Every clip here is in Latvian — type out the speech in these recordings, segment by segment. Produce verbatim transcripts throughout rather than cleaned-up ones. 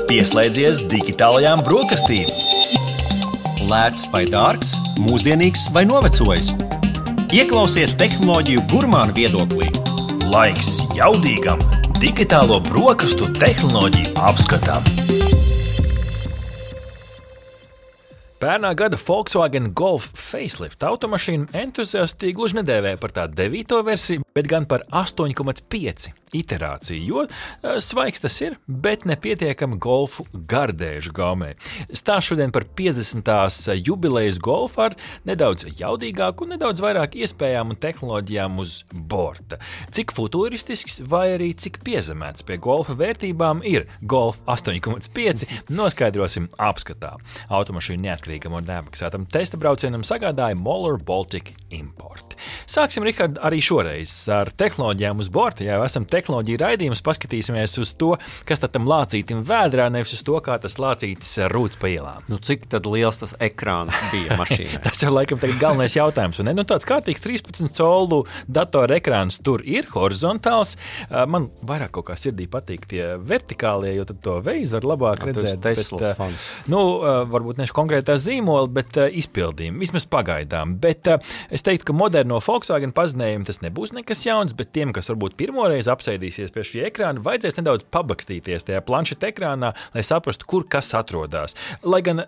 Pieslēdzies digitālajām brokastīm. Lēts vai dārgs, mūsdienīgs vai novecojis. Ieklausies tehnoloģiju gurmānu viedoklī. Laiks jaudīgam digitālo brokastu tehnoloģiju apskatam. Pērnā gada Volkswagen Golf facelift automašīnu entuziasti gluži nedēvēja par tā devīto versiju, bet gan par astoņi komats pieci iterāciju, jo svaigs tas ir, bet nepietiekami Golfu gardēžu gaumē. Stāsts šodien par piecdesmitās jubilejas Golfu ar nedaudz jaudīgāku un nedaudz vairāk iespējām un tehnoloģijām uz borta. Cik futuristisks vai arī cik piezemēts pie Golfa vērtībām ir Golf astoņi komats pieci, noskaidrosim apskatā. Automašīnu neatkarīgam un neapmaksātam testa braucienam sagādāja Moller Baltic Import. Sāksim, Rihard, arī šoreiz ar tehnoloģijām uz borta. Ja jau esam tehnoloģiju raidījums, paskatīsimies uz to, kas tad tam lācītim vēdrā, nevis uz to, kā tas lācītis rūc pa ielām. Nu, cik tad liels tas ekrāns bija mašīnai? Tas jau laikam tagad galvenais jautājums. Un, ne? Nu, tāds kārtīgs trīspadsmit colu datora ekrāns tur ir, horizontāls. Man vairāk kaut kā sirdī patīk tie vertikālie, jo tad to veizu var labāk Jā, redzēt. Teslas bet, fans. Nu, varbūt nešu konkrētā zīmola, bet izpildījumi, vismaz pagaidām. Bet es teiktu, ka moderno Volkswagen pazinējumu tas nebūs nekas jauns, bet tiem, kas varbūt pirmoreiz apsēdīsies pie šī ekrāna, vajadzēs nedaudz pabakstīties tajā planšeta ekrānā, lai saprastu, kur kas atrodās. Lai gan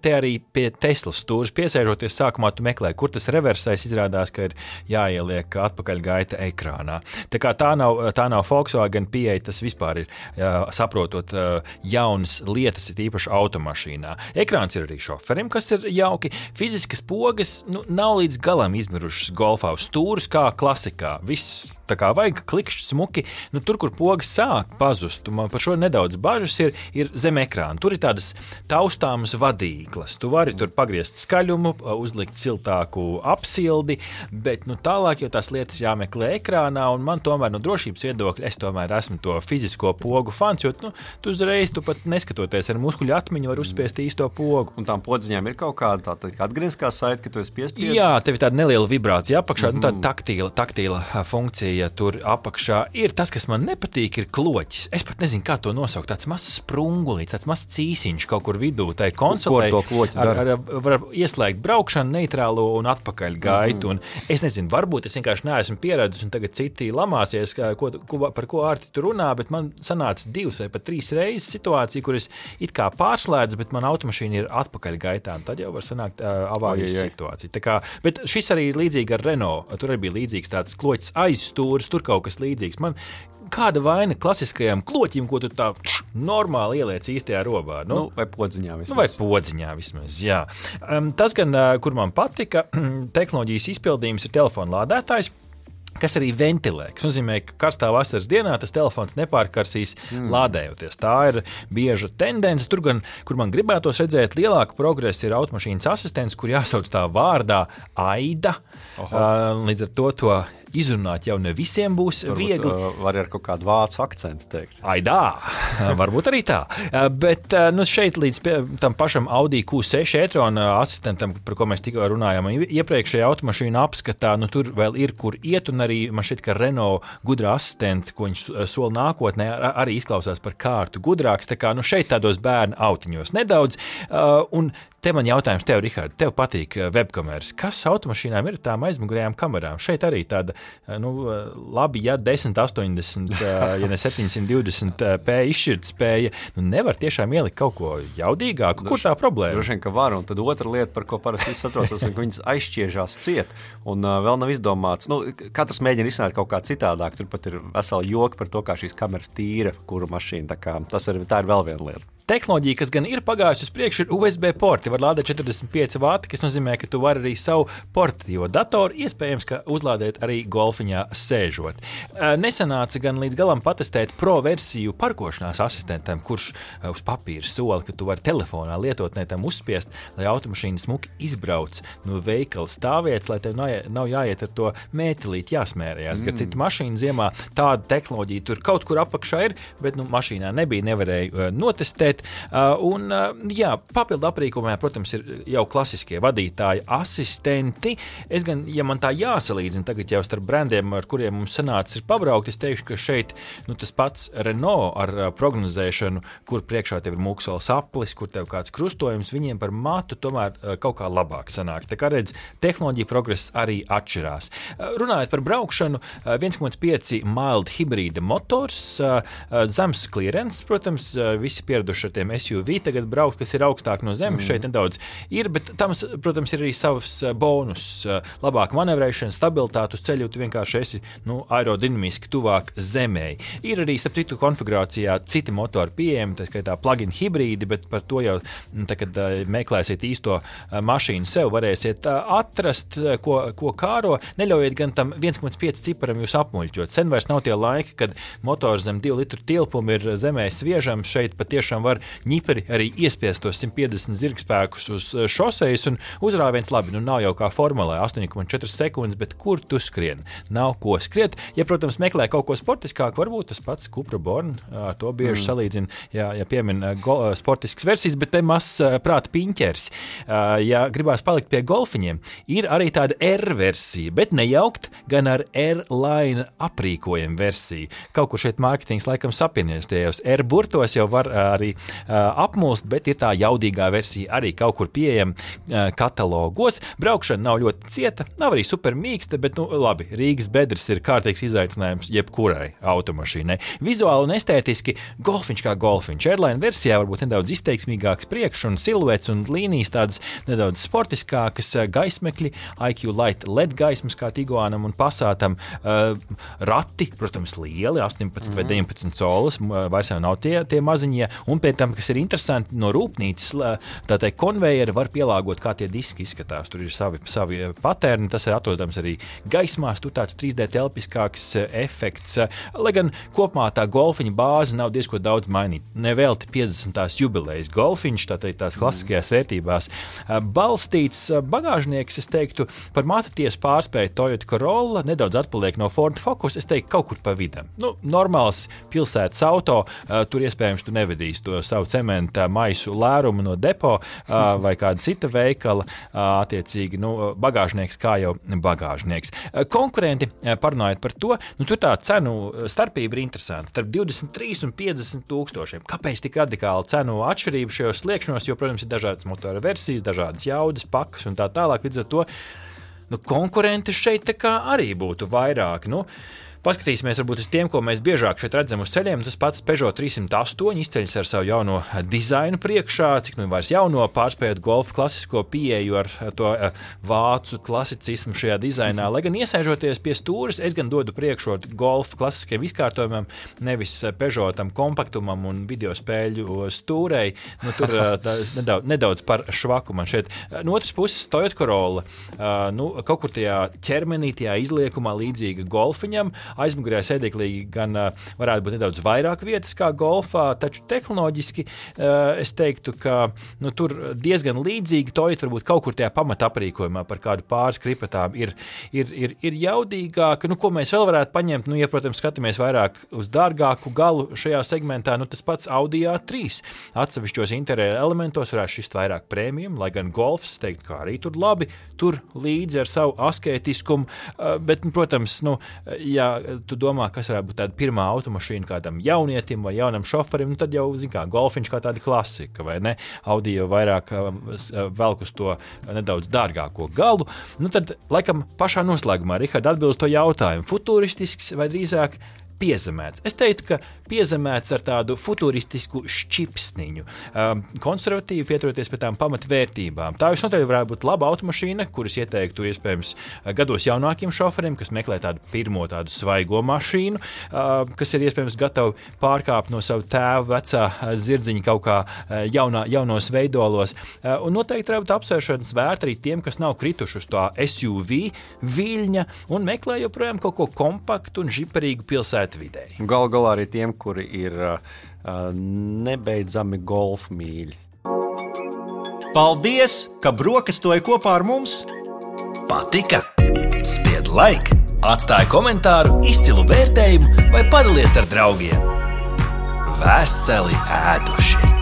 te arī pie Teslas stūres piesēžoties sākumā tu meklē, kur tas reversais, izrādās, ka ir jāieliek atpakaļgaita ekrānā. Tā kā tā nav, tā nav Volkswagen pieeja, tas vispār ir jā, saprotot jaunas lietas, ir īpaši automašīnā. Ekrāns ir arī šoferim, kas ir jauki. Fiziskas pogas nu, nav līdz galam izmirušas Golfā uz stūrus kā klasikā. Viss tā kā vajag klikšķi smuki, nu tur, kur pogas sāk pazust, man par šo nedaudz bažas ir, ir zem ekrāna. Tur ir tādas taustāmas vadīklas. Tu vari tur pagriezt skaļumu, uzlikt siltāku apsildi, bet nu tālāk jau tās lietas jāmeklē ekrānā, un man tomēr no drošības viedokļa es tomēr esmu to fizisko pogu fans, jo nu, tu uzreiz, tu pat neskatoties ar muskuļu atmiņu, var uzspiest īsto pogu. Un tām podziņām ir kaut kāda tā, tā atgriezkā saite, ka tu esi piespiedis? Jā, tev ir tāda neliela vibrācija apakšā, mm-hmm. nu tāda taktīla, taktīla funkcija. Ja tur apakšā ir tas, kas man nepatīk, ir kloķis. Es pat nezinu, kā to nosaukt. Tāds mazs sprungulīts, tāds mazs cīsiņš kaut kur vidū. Tai konsolei ar, ar, var ieslēgt braukšanu, neitrālo un atpakaļ gaitu. Mm. Un es nezinu, varbūt es vienkārši neesmu pieredzis un tagad citi lamāsies, ko, ko, par ko Ārti tur runā, bet man sanāca divas vai pat trīs reizes situācija, kur es it kā pārslēdzu, bet man automašīna ir atpakaļ gaitā. Tad jau var sanākt uh, avārijas situācija. Tā kā, bet šis arī līdzīgi ar Renault. Tur arī bija līdzīgs tāds kloķis aizstūrs. Tur kaut kas līdzīgs. Man kāda vaina klasiskajam kloķim, ko tu tā č, normāli ieliec īstajā robā? Nu, nu, vai podziņā vismaz. Nu, vai podziņā vismaz, jā. Um, tas gan, kur man patika, tehnoloģijas izpildījums ir telefona lādētājs, kas arī ventilē, kas nozīmē, ka karstā vasaras dienā tas telefons nepārkarsīs mm. lādējoties. Tā ir bieža tendence. Tur gan, kur man gribētos redzēt lielāku progresu, ir automašīnas asistents, kur jāsauc tā vārdā Aida. Uh, līdz ar to to izrunāt jau ne visiem būs Varbūt, viegli. Uh, var ar kaut kādu vācu akcentu teikt. Aidā, varbūt arī tā. Bet nu, šeit līdz pie, tam pašam Audi Q seši e-tron asistentam, par ko mēs tikko runājām, iepriekšējā automašīna apskatā, nu tur vēl ir, kur iet, un arī man šķiet, ka Renault gudrā asistents, ko viņš sola nākotnē, arī izklausās par kārtu gudrāks. Tā kā nu, šeit tādos bērnu autiņos nedaudz. Uh, un te man jautājums tev, Rihard, tev patīk webkameras. Kas automašīnām ir tām aizmugurējām kamerām? Šeit arī tāda, nu, labi, ja desmit astoņdesmit, ja ne septiņsimt divdesmit p izšķirtspēja, nu nevar tiešām ielikt kaut ko jaudīgāku. Kur tā problēma? Droši vien, ka var, un tad otra lieta, par ko parasti viss atrosas, ka viņas aizšķiežās ciet, un uh, vēl nav izdomāts. Nu, katrs mēģina izsnāt kaut kā citādāk, tur pat ir veseli joki par to, kā šīs kameras tīra, kuru mašīna, tā kā tas ir, tā ir vēl viena lieta. Tehnoloģija, kas gan ir pagājusi uz priekšu, ir U S B porti. Var lādēt četrdesmit pieci vati, kas nozīmē, ka tu vari arī savu portatīvo datoru, iespējams, ka uzlādēt arī golfiņā sēžot. Nesanāca gan līdz galam patestēt pro versiju parkošanās asistentam, kurš uz papīra sola, ka tu vari telefonā lietotnē tam uzspiest, lai automašīna smuki izbrauc no veikala stāvvietas, lai tev nav jāiet ar to mētelīt jāsmērējās. Mm. Kad citu mašīnu ziemā tāda tehnoloģija tur kaut kur apakšā ir, bet nu, mašīnā nebija, nevarēja notestēt. noklusēt. Un, jā, papildu aprīkojumā, protams, ir jau klasiskie vadītāji asistenti. Es gan, ja man tā jāsalīdzina tagad jau starp brandiem, ar kuriem mums sanācis ir pabraukt, es teikšu, ka šeit nu, tas pats Renault ar prognozēšanu, kur priekšā tev ir mūksels aplis, kur tev kāds krustojums, viņiem par matu tomēr kaut kā labāk sanāk. Tā kā redz, tehnoloģija progress arī atšķirās. Runājot par braukšanu, viens komats pieci mild hibrīda motors, zemes klierens, protams, visi pieraduši ar tiem S U V tagad braukt, kas ir augstāk no zemes, mm. šeit nedaudz ir, bet tam, protams, ir arī savs bonus, labāka manevrēšana, stabilitāte uz ceļu, tu vienkārši esi nu, aerodinamiski tuvāk zemei. Ir arī, starp citu, konfigurācijā citi motori pieejami, tā skaitā plug-in hibrīdi, bet par to jau, tā, kad meklēsiet īsto mašīnu sev, varēsiet atrast, ko, ko kāro, neļaujiet gan tam viens komats pieci ciparam jūs apmuļķot. Sen vairs nav tie laiki, kad motors zem divu litru tilpumu ir zemē sviežams. Šeit patiešām var ņiperi arī iespiest tos simt piecdesmit zirgspēkus uz šosejas un uzrāviens labi. Nu nav jau kā formulē astoņi komats četri sekundes, bet kur tu skrien? Nav ko skriet. Ja, protams, meklē kaut ko sportiskāk, varbūt tas pats Cupra Born, ar to bieži mm. salīdzina, ja, ja piemin go, sportisks versijas, bet te mazs prāta piņķers. Ja gribās palikt pie golfiņiem, ir arī tāda R-versija, bet nejaukt gan ar R-line aprīkojumu versiju. Kaut kur šeit mārketings laikam sapienies, tie jau R-burtos jau var arī uh, apmulst, bet ir tā jaudīgā versija arī kaut kur pieejama uh, katalogos. Braukšana nav ļoti cieta, nav arī super mīksta, bet nu labi, Rīgas bedres ir kārtīgs izaicinājums jebkurai automašīnai. Vizuāli un estētiski golfiņš kā golfiņš. R-line versijā varbūt nedaudz izteiksmīgāks priekš un siluets un līnijas tādas nedaudz sportiskākas, gaismekļi, I Q Light L E D gaismas kā Tiguanam un Passātam. Uh, rati, protams, lieli, astoņpadsmit mm. vai deviņpadsmit colas, vairs jau nav tie, tie maziņie, un pēc tam, kas ir interesanti, no rūpnīcas, tātad konvejeri var pielāgot, kā tie diski izskatās, tur ir savi, savi paterni, tas ir atrodams arī gaismās, tur tāds trīs D telpiskāks efekts, lai gan kopumā tā golfiņa bāze nav diezko daudz mainīt, nevelti piecdesmitās jubilejas golfiņš, tātad tās klasiskajās vērtībās balstīts bagāžnieks, es teiktu, par mataties pārspēju Toyota Corolla, nedaudz atpaliek no Ford Focus, es teiktu, kaut kur pa vidam. Nu, normāls pilsētas auto, uh, tur iespējams tu nevedīs to savu cementa maisu lērumu no depo uh, vai kāda cita veikala, uh, attiecīgi, nu, bagāžnieks kā jau bagāžnieks. Uh, konkurenti, uh, parunājot par to, nu, tur tā cenu starpība ir interesanta, starp divdesmit trīs un piecdesmit tūkstošiem. Kāpēc tik radikāla cenu atšķirība šajos sliekšņos, jo, protams, ir dažādas motora versijas, dažādas jaudas, pakas un tā tālāk, līdz ar to nu, konkurenti šeit tā kā arī būtu vairāk. Nu, paskatīsimies varbūt uz tiem, ko mēs biežāk šeit redzam uz ceļiem. Tas pats Peugeot trīsimt astoņi izceļas ar savu jauno dizainu priekšā, cik nu vairs jauno, pārspējot Golfa klasisko pieeju ar to vācu klasicismu šajā dizainā. Lai gan iesēžoties pie stūres, es gan dodu priekšrotu Golfa klasiskiem izkārtojumam, nevis Peugeotam kompaktumam un video spēļu stūrei. Nu, tur nedaudz, nedaudz par švaku man šeit. No otras puses, Toyota Corolla, nu, kaut kur tajā ķermenī, tajā izliekumā līdzīga Golfiņam. Aizmugurējā sēdeklī gan uh, varētu būt nedaudz vairāk vietas kā Golfā, taču tehnoloģiski uh, es teiktu, ka nu, tur diezgan līdzīgi Toyota varbūt kaut kur tajā pamata aprīkojumā par kādu pāris kripatām ir, ir, ir, ir jaudīgāka. Nu, ko mēs vēl varētu paņemt? Nu, ja, protams, skatāmies vairāk uz dārgāku galu šajā segmentā, nu, tas pats Audi A trīs. Atsevišķos interjera elementos varētu šist vairāk prēmijum, lai gan Golfs, es teiktu, kā arī tur labi, tur līdzi ar savu askētiskumu, uh, bet, nu, protams, nu, ja tu domā, kas varētu būt tāda pirmā automašīna kādam jaunietim vai jaunam šoferim, nu tad jau, zin kā, Golfiņš kā tāda klasika, vai ne? Audi jau vairāk velk uz to nedaudz dārgāko galu. Nu tad, laikam, pašā noslēgumā, Rihard, atbilst to jautājumu. Futuristisks vai drīzāk piezemēts. Es teiktu, ka piezemēts ar tādu futuristisku šķipsniņu. Um, konservatīvi pieturoties pie tām pamatvērtībām. Tā visnotaļ varētu būt laba automašīna, kuras ieteiktu iespējams gados jaunākiem šoferiem, kas meklē tādu pirmo tādu svaigo mašīnu, uh, kas ir iespējams gatavi pārkāpt no savu tēvu vecā zirdziņa kaut kā jaunā, jaunos veidolos. Uh, un noteikti varētu apsvēršanas vērt arī tiem, kas nav krituši uz tā S U V viļņa un meklē joprojām kaut ko kompaktu un žiparīgu pilsētu vidēji. Gal galā arī tiem, kuri ir uh, nebeidzami golfa mīļi. Paldies, ka brokastoji kopā ar mums! Patika? Spied like, atstāj komentāru, izcilu vērtējumu vai padalies ar draugiem. Veseli ēduši!